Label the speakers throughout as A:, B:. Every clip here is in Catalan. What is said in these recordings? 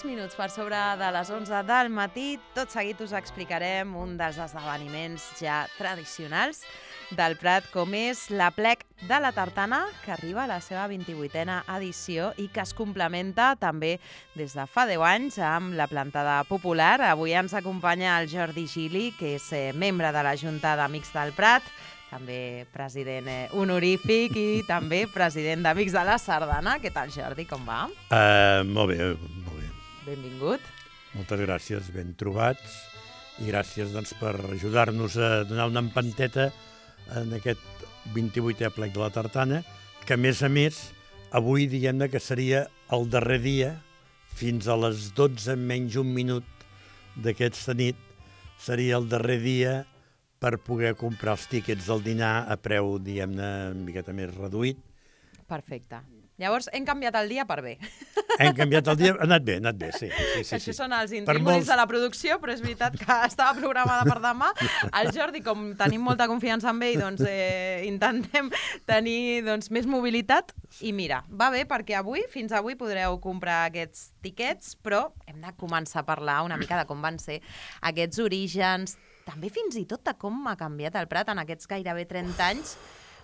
A: Minuts per sobre de les 11 del matí. Tot seguit us explicarem un dels esdeveniments ja tradicionals del Prat, com és l'Aplec de la Tartana, que arriba a la seva 28a edició i que es complementa també des de fa 10 anys amb la plantada popular. Avui ens acompanya el Jordi Gili, que és membre de la Junta d'Amics del Prat, també president honorífic i també president d'Amics de la Sardana. Què tal, Jordi? Com va?
B: Molt bé.
A: Benvingut.
B: Moltes gràcies, ben trobats, i gràcies per ajudar-nos a donar una empanteta en aquest 28è Aplec de la Tartana, que a més, avui diguem que seria el darrer dia, fins a les 12 menys un minut d'aquesta nit, seria el darrer dia per poder comprar els tíquets del dinar a preu, diguem-ne, una miqueta més reduït.
A: Perfecte. Llavors, hem canviat el dia per bé.
B: Hem canviat el dia, ha anat bé, sí.
A: Això són els intríngulis de la producció, però és veritat que estava programada per demà. El Jordi, com tenim molta confiança en ell, doncs intentem tenir més mobilitat. I mira, va bé perquè fins avui podreu comprar aquests tiquets, però hem de començar a parlar una mica de com van ser aquests orígens, també fins i tot de com ha canviat el Prat en aquests gairebé 30 anys,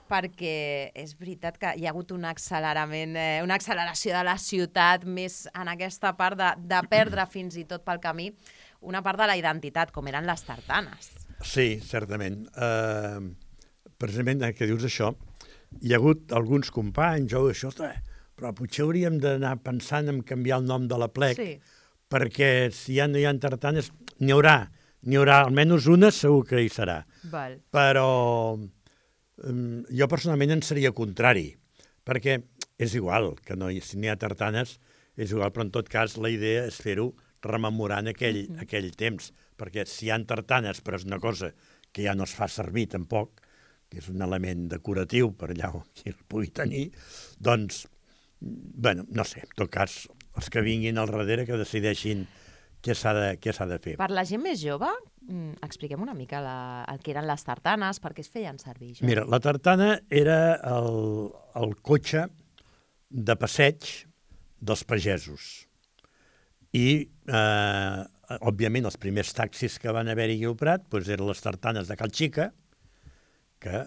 A: perquè és veritat que hi ha hagut un accelerament, una acceleració de la ciutat, més en aquesta part de perdre fins i tot pel camí una part de la identitat, com eren les tartanes.
B: Sí, certament. Precisament, que dius això, hi ha hagut alguns companys, però potser hauríem d'anar pensant en canviar el nom de l'Aplec, perquè si ja no hi ha tartanes, n'hi haurà, almenys una segur que hi serà.
A: Val.
B: Però jo personalment en seria contrari, perquè és igual que si n'hi ha tartanes, és igual, però en tot cas la idea és fer-ho rememorant aquell temps, perquè si hi ha tartanes, però és una cosa que ja no es fa servir tampoc, que és un element decoratiu per allà on qui el pugui tenir, doncs, no sé, en tot cas, els que vinguin al darrere que decideixin què s'ha de fer.
A: Per la gent més jove, expliquem una mica el que eren les tartanes, per què es feien servir.
B: Mira, la tartana era el cotxe de passeig dels pagesos. I, òbviament, els primers taxis que van haver-hi al Prat eren les tartanes de Cal Xica, que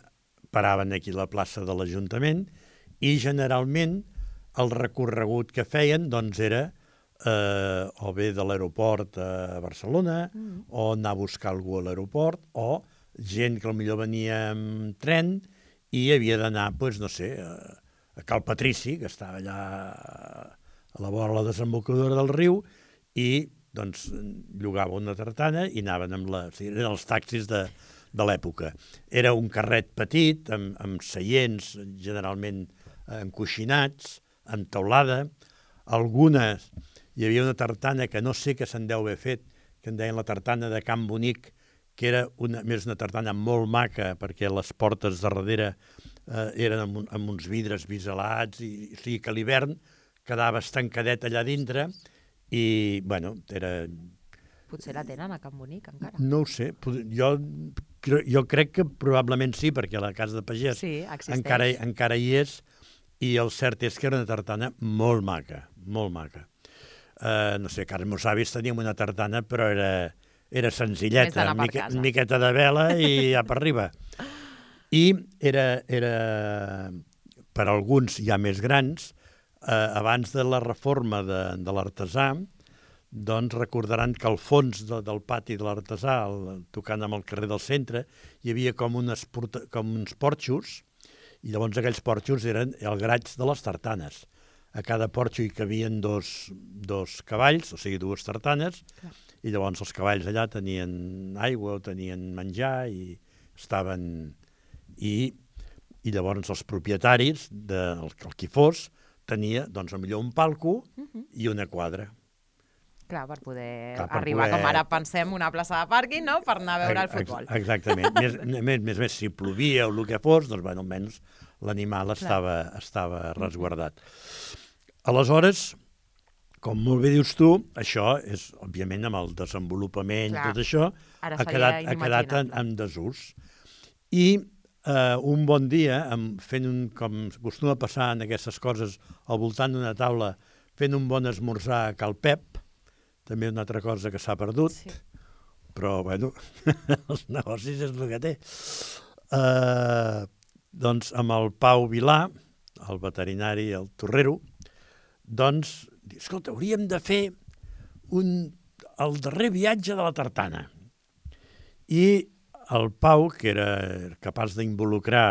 B: paraven aquí a la plaça de l'Ajuntament, i generalment el recorregut que feien era o bé de l'aeroport a Barcelona, o anar a buscar algú a l'aeroport, o gent que potser venia amb tren i havia d'anar, a Cal Patrici, que estava allà a la vora de la desembocadura del riu, i llogava una tartana i anaven eren els taxis de l'època. Era un carret petit, amb seients generalment encoixinats, amb teulada. Algunes, hi havia una tartana que no sé què se'n deu haver fet, que en deien la tartana de Can Bonic, que era més una tartana molt maca, perquè les portes de darrere eren amb uns vidres biselats, i o sigui que a l'hivern quedava estancadet allà dintre, i, era...
A: Potser la tenen a Can Bonic, encara.
B: No ho sé, jo crec que probablement sí, perquè la casa de pagès encara hi és, i el cert és que era una tartana molt maca, molt maca. No sé, que els meus avis teníem una tartana, però era senzilleta, una miqueta de vela i ja per arriba. I era per alguns ja més grans, abans de la reforma de l'artesà, doncs recordaran que al fons del pati de l'artesà, tocant amb el carrer del centre, hi havia com uns porxos, i llavors aquells porxos eren el graig de les tartanes. A cada porxo hi cabien dos cavalls, o sigui, dues tartanes, i llavors els cavalls allà tenien aigua o tenien menjar i estaven... I I llavors els propietaris, el qui fos, tenia, doncs, potser un palco i una quadra.
A: Clar, per poder arribar, com ara pensem, una plaça de pàrquing, no?, per anar a veure el futbol.
B: Exactament. més si plovia o el que fos, doncs, almenys l'animal estava resguardat. Aleshores, com molt bé dius tu, això és, òbviament, amb el desenvolupament, tot això, ha quedat en desús. I un bon dia, fent com acostuma a passar en aquestes coses, al voltant d'una taula, fent un bon esmorzar a Cal Pep, també una altra cosa que s'ha perdut, però, bueno, els negocis és el que té. Doncs amb el Pau Vilà, el veterinari, el torrero, doncs, escolta, hauríem de fer el darrer viatge de la tartana. I el Pau, que era capaç d'involucrar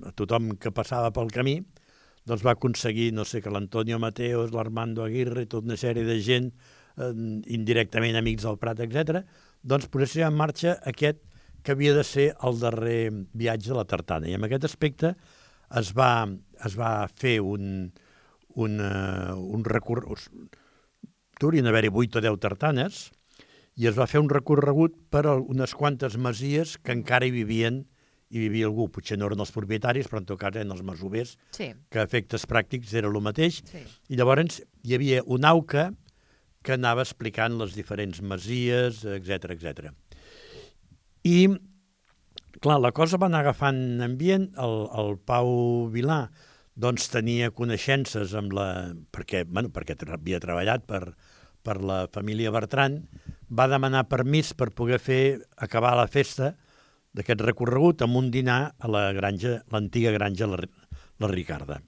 B: a tothom que passava pel camí, doncs va aconseguir, no sé, que l'Antonio Mateos, l'Armando Aguirre, tota una sèrie de gent, indirectament amics del Prat, etc., doncs posessin en marxa aquest que havia de ser el darrer viatge de la tartana. I en aquest aspecte es va fer un recorregut, haurien d'haver-hi 8 o 10 tartanes, i es va fer un recorregut per unes quantes masies que encara hi vivia algú, potser no eren els propietaris, però en tot cas eren els masovers, que a efectes pràctics era el mateix. I llavors hi havia un auca que anava explicant les diferents masies, etc. I, clar, la cosa va anar agafant ambient. El Pau Vilà doncs, tenia coneixences amb perquè havia treballat per la família Bertran, va demanar permís per poder acabar la festa d'aquest recorregut amb un dinar a l'antiga granja La Ricarda.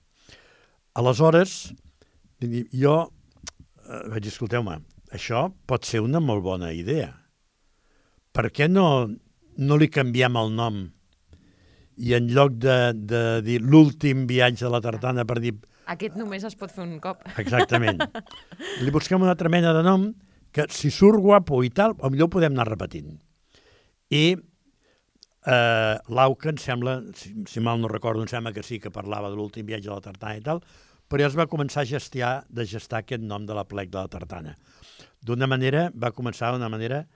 B: Aleshores, jo vaig dir, escolteu-me, això pot ser una molt bona idea. Per què no li canviem el nom i en lloc de dir l'últim viatge de la tartana per dir...
A: Aquest només es pot fer un cop.
B: Exactament. Li busquem una altra mena de nom que si surt guapo i tal, potser ho podem anar repetint. I l'auca, em sembla, si mal no recordo, em sembla que sí que parlava de l'últim viatge de la tartana i tal, però ja es va començar a gestar aquest nom de la plec de la tartana. Va començar d'una manera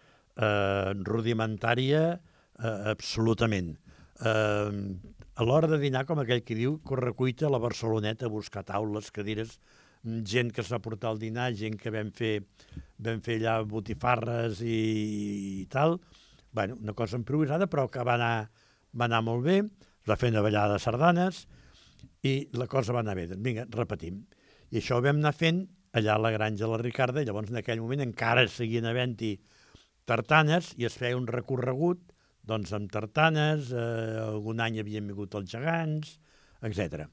B: rudimentària absolutament. A l'hora de dinar, com aquell que diu, correcuita a la Barceloneta a buscar taules, cadires, gent que es va portar al dinar, gent que vam fer allà botifarres i tal. Bueno, una cosa improvisada, però que va anar molt bé, es va fer una ballada de sardanes i la cosa va anar bé. Vinga, repetim. I això ho vam anar fent allà a la granja de La Ricarda, i llavors en aquell moment encara seguien havent-hi tartanes i es feia un recorregut doncs, amb tartanes, algun any havien vingut els gegants, etc.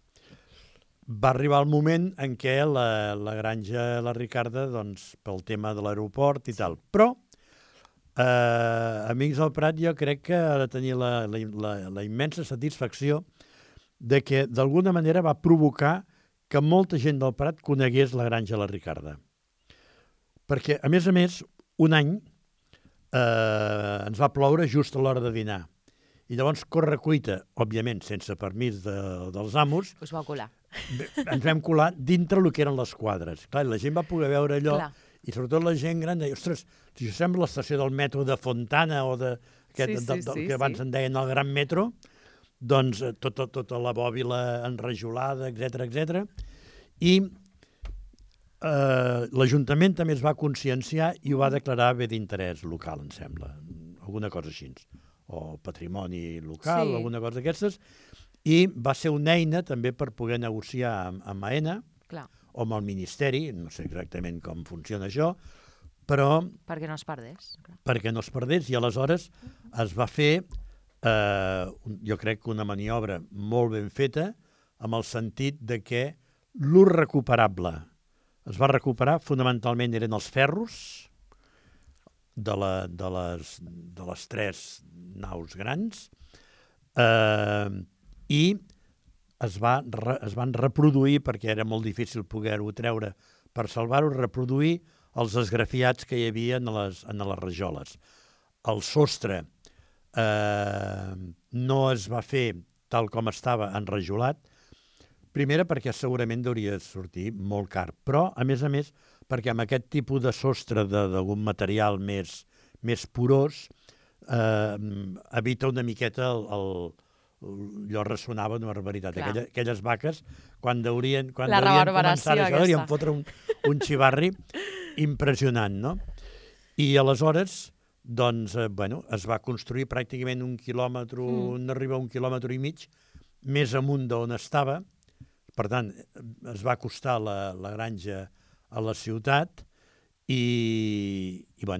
B: Va arribar el moment en què la granja La Ricarda, doncs, pel tema de l'aeroport i tal, però Amics del Prat jo crec que ha de tenir la immensa satisfacció de que d'alguna manera va provocar que molta gent del Prat conegués la granja La Ricarda. Perquè, a més, un any ens va ploure just a l'hora de dinar. I llavors, correcuita, òbviament, sense permís dels amos,
A: us vau colar.
B: Ens vam colar dintre el que eren les quadres. Clar, la gent va poder veure allò, i sobretot la gent gran deia, ostres, si això sembla l'estació del metro de Fontana o del que abans en deien el Gran Metro, doncs tota la bòbila enrajolada, etc. I l'Ajuntament també es va conscienciar i ho va declarar bé d'interès local, em sembla, alguna cosa així, o patrimoni local, alguna cosa d'aquestes, i va ser una eina també per poder negociar amb AENA o amb el Ministeri, no sé exactament com funciona això, però...
A: Perquè no es perdés.
B: Perquè no es perdés, i aleshores es va fer, jo crec que una maniobra molt ben feta, amb el sentit de que l'ús recuperable es va recuperar, fonamentalment eren els ferros de les 3 naus grans, i es van reproduir, perquè era molt difícil poder-ho treure per salvar-ho, reproduir els esgrafiats que hi havia en les rajoles. El sostre no es va fer tal com estava, enrajolat. Primera, perquè segurament hauria de sortir molt car, però, a més, perquè amb aquest tipus de sostre d'algun material més porós, evita una miqueta allò ressonava una barbaritat. Aquelles vaques, quan deurien començar això, deurien fotre un xivarri impressionant, no? I aleshores, doncs, es va construir pràcticament 1 quilòmetre, arriba a 1,5 quilòmetres, més amunt d'on estava. Per tant, es va acostar la granja a la ciutat i jo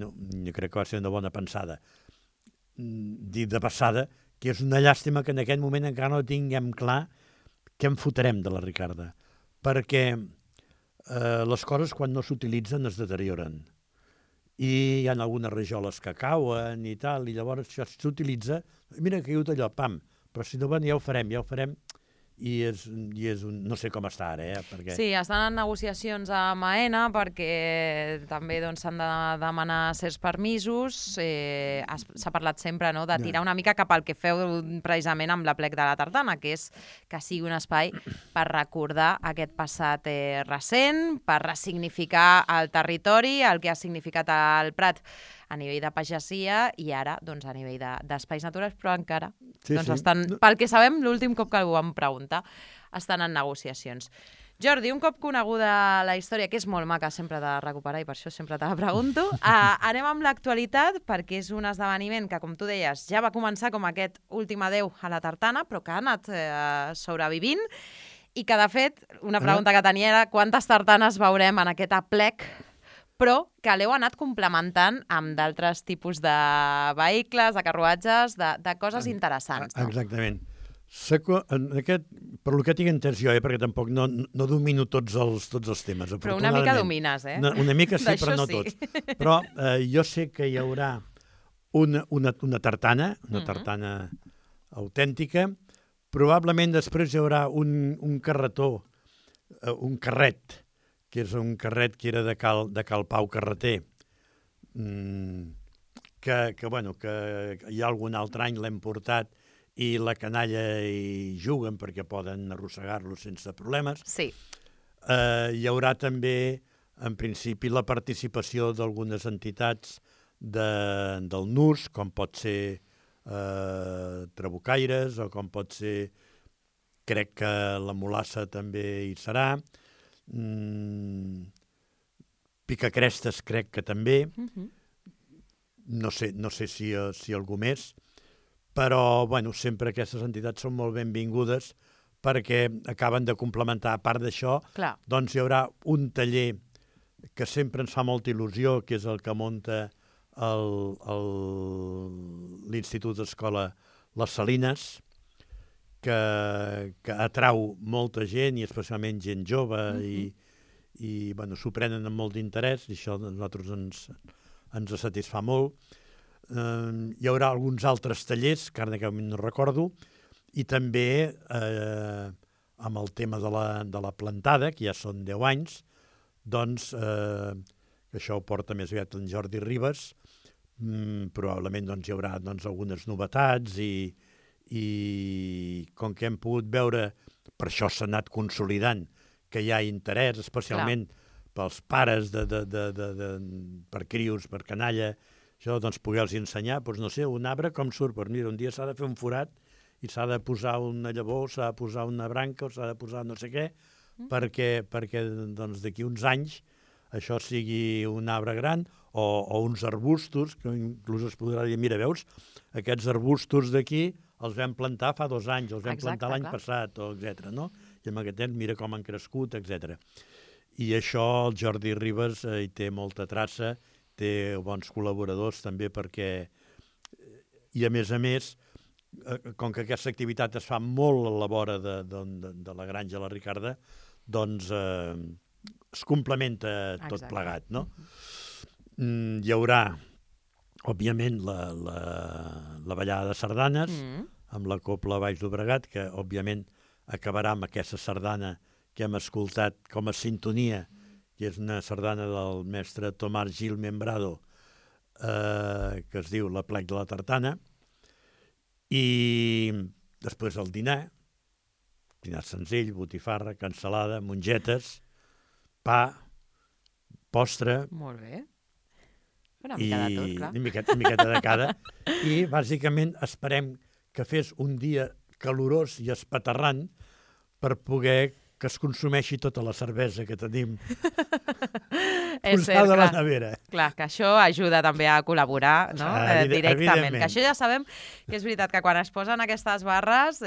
B: crec que va ser una bona pensada. Dir de passada que és una llàstima que en aquest moment encara no tinguem clar què en fotrem de la Ricarda, perquè les coses quan no s'utilitzen es deterioren. I hi ha algunes rajoles que cauen i tal, i llavors això s'utilitza, mira que caigut allò, pam, però si no, ja ho farem, i és no sé com està ara, perquè...
A: Sí, estan en negociacions amb AENA perquè també s'han de demanar certs permisos. S'ha parlat sempre de tirar una mica cap al que feu precisament amb l'Aplec de la Tartana, que és que sigui un espai per recordar aquest passat recent, per ressignificar el territori, el que ha significat el Prat a nivell de pagesia i ara a nivell d'espais naturals, però encara estan, pel que sabem, l'últim cop que algú em pregunta, estan en negociacions. Jordi, un cop coneguda la història, que és molt maca sempre de recuperar i per això sempre te la pregunto, anem amb l'actualitat perquè és un esdeveniment que, com tu deies, ja va començar com aquest últim adeu a la Tartana, però que ha anat sobrevivint i que, de fet, una pregunta que tenia era quantes tartanes veurem en aquest aplec, però que l'heu anat complementant amb d'altres tipus de vehicles, de carruatges, de coses interessants. No?
B: Exactament. Per lo que tinc entès jo, perquè tampoc no domino tots els temes.
A: Però una mica domines, eh?
B: Una mica sí, però no tots. Però jo sé que hi haurà una tartana, tartana autèntica. Probablement després hi haurà un carretó, un carret, que és un carret que era de Cal Pau Carreter, que hi ha algun altre any l'hem portat i la canalla hi juguen perquè poden arrossegar-lo sense problemes.
A: Sí.
B: Hi haurà també, en principi, la participació d'algunes entitats del NUS, com pot ser Trabucaires, o com pot ser, crec que la Mulassa també hi serà, Picacrestes crec que també, no sé si algú més, però sempre aquestes entitats són molt benvingudes perquè acaben de complementar. A part d'això, doncs hi haurà un taller que sempre ens fa molta il·lusió, que és el que munta l'Institut d'Escola Les Salines, que atrau molta gent, i especialment gent jove, i s'ho prenen amb molt d'interès, i això a nosaltres ens satisfà molt. Hi haurà alguns altres tallers, que ara no recordo, i també amb el tema de la plantada, que ja són 10 anys, doncs això ho porta més aviat en Jordi Ribas, probablement hi haurà algunes novetats i com que hem pogut veure, per això s'ha anat consolidant, que hi ha interès, especialment pels pares, per crios, per canalla, això, doncs, poder-los ensenyar, doncs, no sé, un arbre com surt, doncs mira, un dia s'ha de fer un forat i s'ha de posar una llavor, s'ha de posar una branca o s'ha de posar no sé què, perquè doncs, d'aquí uns anys això sigui un arbre gran o uns arbustos, que inclús es podrà dir, mira, veus, aquests arbustos d'aquí els vam plantar fa 2 anys, els vam plantar l'any passat, etc. No? I amb aquest temps mira com han crescut, etc. I això el Jordi Ribas hi té molta traça, té bons col·laboradors també perquè... I a més, com que aquesta activitat es fa molt a la vora de la granja La Ricarda, doncs es complementa tot plegat, no? Hi haurà, òbviament, la ballada de sardanes, amb la Cobla Baix Llobregat, que, òbviament, acabarà amb aquesta sardana que hem escoltat com a sintonia, que és una sardana del mestre Tomàs Gil Membrado, que es diu L'Aplec de la Tartana, i després el dinar senzill, botifarra, cansalada, mongetes, pa, postre...
A: Molt bé. Una mica de tot, clar.
B: Una miqueta de cada. I, bàsicament, esperem que fes un dia calorós i espaterrant per poder que es consumeixi tota la cervesa que tenim posada a la nevera.
A: Clar, que això ajuda també a col·laborar, no? Directament. Que això ja sabem que és veritat que quan es posen aquestes barres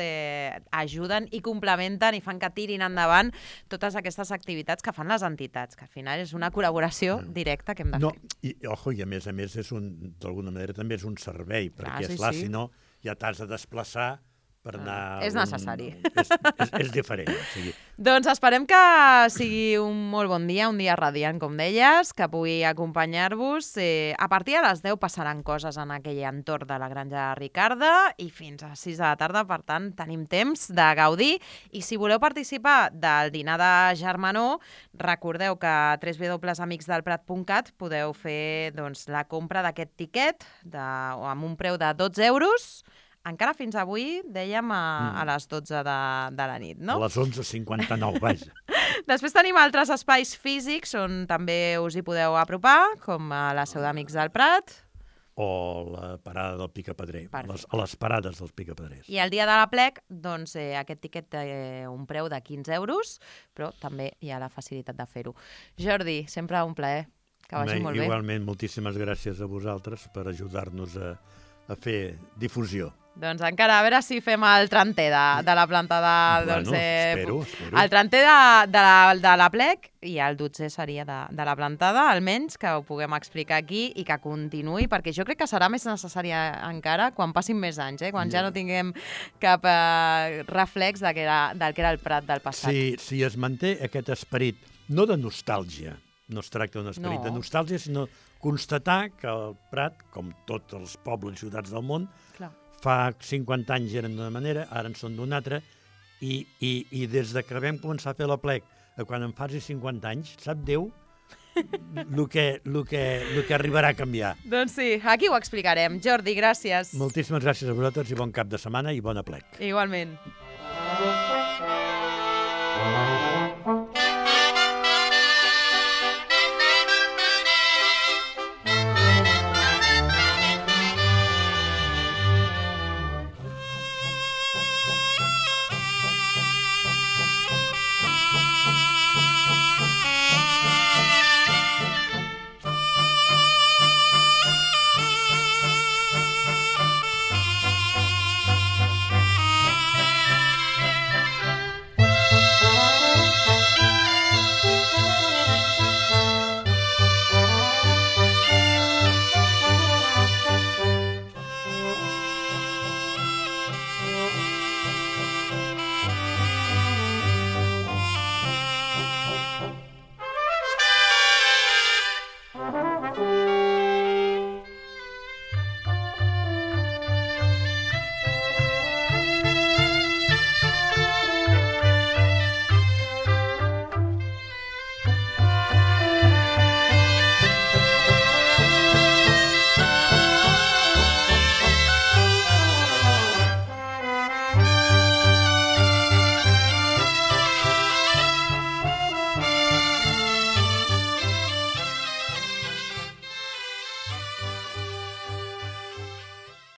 A: ajuden i complementen i fan que tirin endavant totes aquestes activitats que fan les entitats, que al final és una col·laboració directa que hem de fer.
B: I a més, d'alguna manera també és un servei, perquè, esclar, si no, ja t'has de desplaçar per anar...
A: És necessari.
B: És diferent.
A: Doncs esperem que sigui un molt bon dia, un dia radiant, com deies, que pugui acompanyar-vos. A partir de les 10 passaran coses en aquell entorn de la Granja Ricarda i fins a 6 de la tarda, per tant, tenim temps de gaudir. I si voleu participar del dinar de germanor, recordeu que a www.amicsdelprat.cat podeu fer la compra d'aquest tiquet amb un preu de 12 euros. Encara fins avui, dèiem, a les 12 de la nit, no?
B: A les 11:59, vaja.
A: Després tenim altres espais físics on també us hi podeu apropar, com a la seu d'Amics del Prat.
B: O la parada del Picapedrer, a les parades dels Picapedrers.
A: I el dia de l'Aplec, doncs, aquest tiquet té un preu de 15 euros, però també hi ha la facilitat de fer-ho. Jordi, sempre un plaer. Que vagi molt bé.
B: Igualment, moltíssimes gràcies a vosaltres per ajudar-nos a fer difusió.
A: Doncs encara, a veure si fem el trenter de la planta de...
B: Espero.
A: El trenter de l'Aplec i el 12è seria de la plantada, almenys que ho puguem explicar aquí i que continuï, perquè jo crec que serà més necessari encara quan passin més anys, quan ja no tinguem cap reflex del que era el Prat del passat.
B: Si es manté aquest esperit, no de nostàlgia, no es tracta d'un esperit de nostàlgia, sinó constatar que el Prat, com tots els pobles i ciutats del món, fa 50 anys eren d'una manera, ara en són d'una altra, i des que vam començar a fer l'Aplec, quan em faci 50 anys, sap Déu el que arribarà a canviar.
A: Doncs sí, aquí ho explicarem. Jordi, gràcies.
B: Moltíssimes gràcies a vosaltres i bon cap de setmana i bon Aplec.
A: Igualment.